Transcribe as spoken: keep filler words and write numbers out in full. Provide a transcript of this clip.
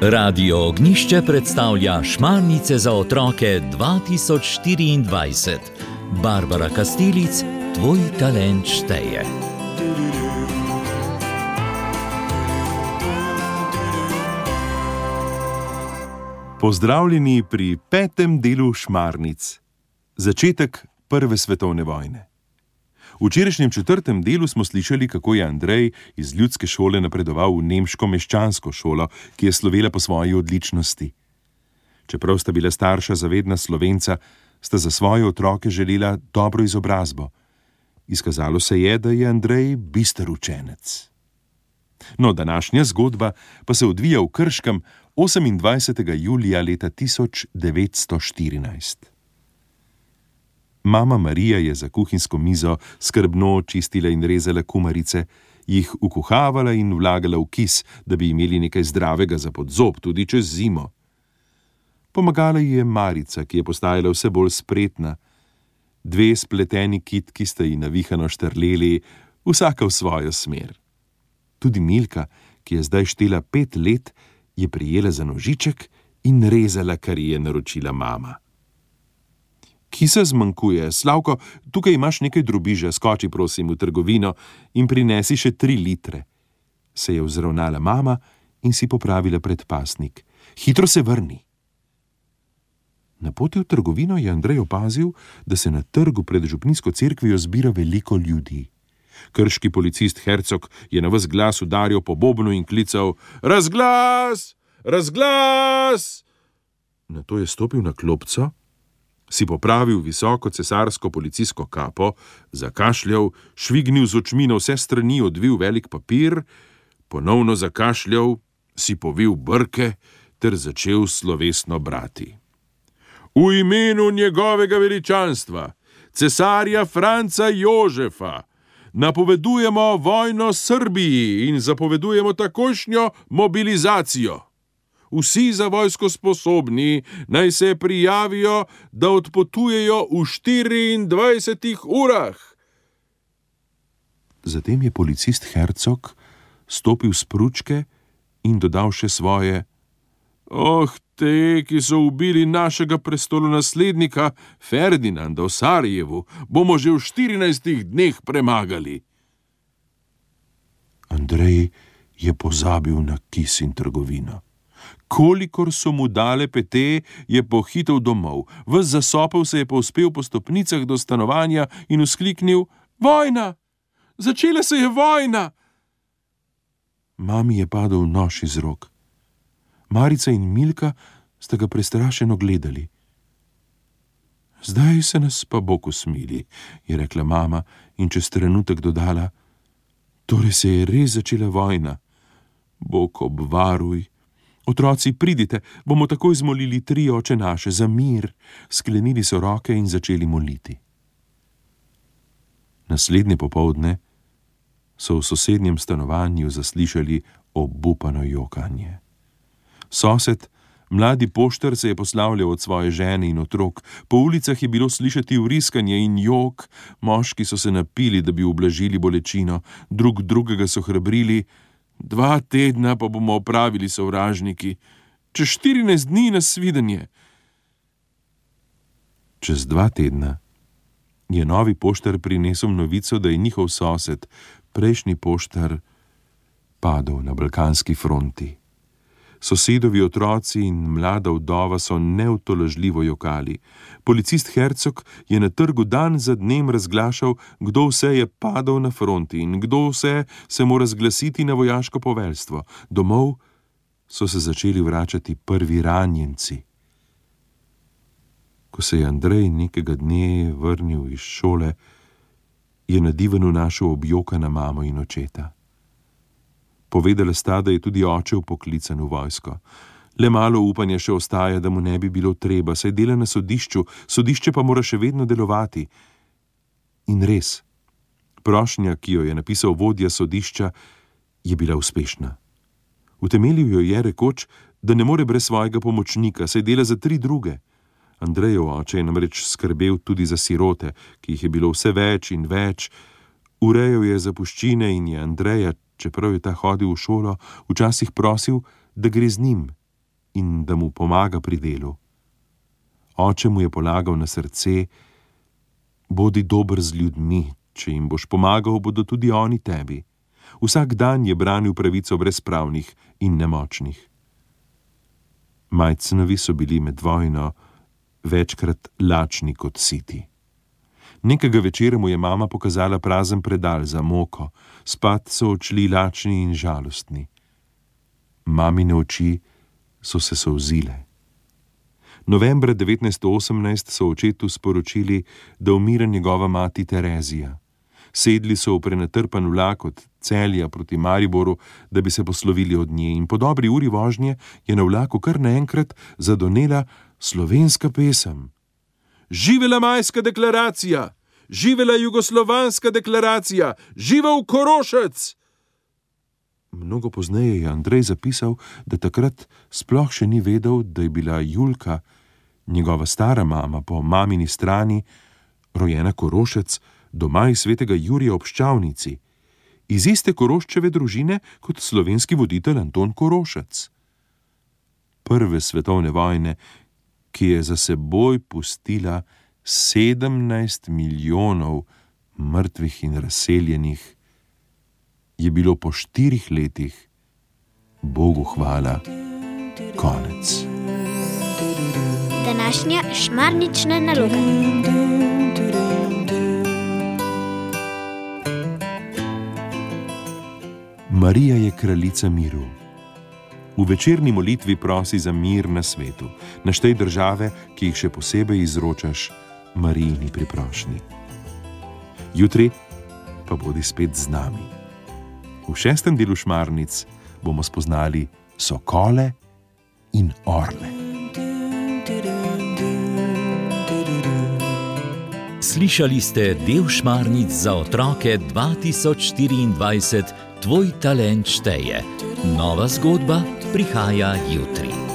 Radio Ognjišče predstavlja Šmarnice za otroke dva tisoč štiriindvajset. Barbara Kastelic, tvoj talent šteje. Pozdravljeni pri petem delu Šmarnic. Začetek prve svetovne vojne. V včerajšnjem četrtem delu smo slišali, kako je Andrej iz ljudske šole napredoval v nemško meščansko šolo, ki je slovela po svoji odličnosti. Čeprav sta bila starša zavedna Slovenca, sta za svoje otroke želela dobro izobrazbo. Izkazalo se je, da je Andrej bister učenec. No, današnja zgodba pa se odvija v Krškem osemindvajsetega julija leta tisoč devetsto štirinajst. Mama Marija je za kuhinjsko mizo skrbno čistila in rezala kumarice, jih ukuhavala in vlagala v kis, da bi imeli nekaj zdravega za podzob tudi čez zimo. Pomagala ji je Marica, ki je postajala vse bolj spretna. Dve spleteni kitki sta ji navihano štrleli, vsaka v svojo smer. Tudi Milka, ki je zdaj štela pet let, je prijela za nožiček in rezala, kar ji je naročila mama. Kisa zmanjkuje. Slavko, tukaj imaš nekaj drobiža, skoči prosim v trgovino in prinesi še tri litre. Se je vzravnala mama in si popravila predpasnik. Hitro se vrni. Na poti v trgovino je Andrej opazil, da se na trgu pred župnijsko cerkvijo zbira veliko ljudi. Krški policist Hercog je na ves glas udaril po bobnu in klical: Razglas! Razglas! Nato je stopil na klopco, si popravil visoko cesarsko policijsko kapo, zakašljal, švignil z očmi na vse strani, odvil velik papir, ponovno zakašljal, si povil brke ter začel slovesno brati. V imenu njegovega veličanstva, cesarja Franca Jožefa, napovedujemo vojno Srbiji in zapovedujemo takošnjo mobilizacijo. Vsi za vojsko sposobni naj se prijavijo, da odpotujejo v štiriindvajsetih urah. Zatem je policist Hercog stopil s pručke in dodal še svoje: Oh, te, ki so ubili našega prestolonaslednika Ferdinanda v Sarajevu, bomo že v štirinajstih dneh premagali. Andrej je pozabil na kis in trgovino. Kolikor so mu dale pete, je pohitel domov. Ves zasopel se je povzpel po stopnicah do stanovanja in vzkliknil: Vojna! Začela se je vojna! Mami je padel nož iz rok. Marica in Milka sta ga prestrašeno gledali. Zdaj se nas pa Bog usmili, je rekla mama in čez trenutek dodala: Torej se je res začela vojna. Bog obvaruj. Otroci, pridite, bomo takoj zmolili tri oče naše za mir. Sklenili so roke in začeli moliti. Naslednje popoldne so v sosednjem stanovanju zaslišali obupano jokanje. Sosed, mladi poštar, se je poslavljal od svoje žene in otrok. Po ulicah je bilo slišati vriskanje in jok. Moški so se napili, da bi ublažili bolečino, drug drugega so hrabrili: Dva tedna pa bomo opravili, sovražniki. Čez štirinajst dni nasvidenje. Čez dva tedna je novi poštar prinesel novico, da je njihov sosed, prejšnji poštar, padel na balkanski fronti. Sosedovi otroci in mlada vdova so neutolažljivo jokali. Policist Hercog je na trgu dan za dnem razglašal, kdo vse je padel na fronti in kdo vse se mora zglasiti na vojaško poveljstvo. Domov so se začeli vračati prvi ranjenci. Ko se je Andrej nekega dne vrnil iz šole, je na divanu našel objokana mamo in očeta. Povedala sta, da je tudi oče vpoklican v vojsko. Le malo upanja še ostaja, da mu ne bi bilo treba, saj dela na sodišču, sodišče pa mora še vedno delovati. In res, prošnja, ki jo je napisal vodja sodišča, je bila uspešna. Utemeljil jo je rekoč, da ne more brez svojega pomočnika, saj dela za tri druge. Andrejev oče je namreč skrbel tudi za sirote, ki jih je bilo vse več in več, Urejal je zapuščine in je Andreja, čeprav je ta hodil v šolo, včasih prosil, da gre z njim in da mu pomaga pri delu. Oče mu je polagal na srce: bodi dober z ljudmi, če jim boš pomagal, bodo tudi oni tebi. Vsak dan je branil pravico brezpravnih in nemočnih. Majcenovi so bili med vojno večkrat lačni kot siti. Nekega večera mu je mama pokazala prazen predal za moko, spat so odšli lačni in žalostni. Mamine oči so se solzile. Novembra devetnajststo osemnajst so očetu sporočili, da umira njegova mati Terezija. Sedli so v prenatrpan vlak od Celja proti Mariboru, da bi se poslovili od nje, in po dobri uri vožnje je na vlaku kar naenkrat zadonela slovenska pesem. Živela majska deklaracija! Živela jugoslovanska deklaracija! Živel Korošec! Mnogo pozneje je Andrej zapisal, da takrat sploh še ni vedel, da je bila Julka, njegova stara mama po mamini strani, rojena Korošec, doma iz svetega Jurija ob Ščavnici, iz iste Koroščeve družine kot slovenski voditelj Anton Korošec. Prve svetovne vojne, ki je za seboj pustila sedemnajst milijonov mrtvih in razseljenih, je bilo po štirih letih, Bogu hvala, konec. Današnja šmarnična naloga. Marija je kraljica miru. V večerni molitvi prosi za mir na svetu, naštej države, ki jih še posebej izročaš Marijini priprošnji. Jutri pa bodi spet z nami. V šestem delu Šmarnic bomo spoznali sokole in orle. Slišali ste del Šmarnic za otroke dva tisoč štiriindvajset. Tvoj talent šteje. Nova zgodba prihaja jutri.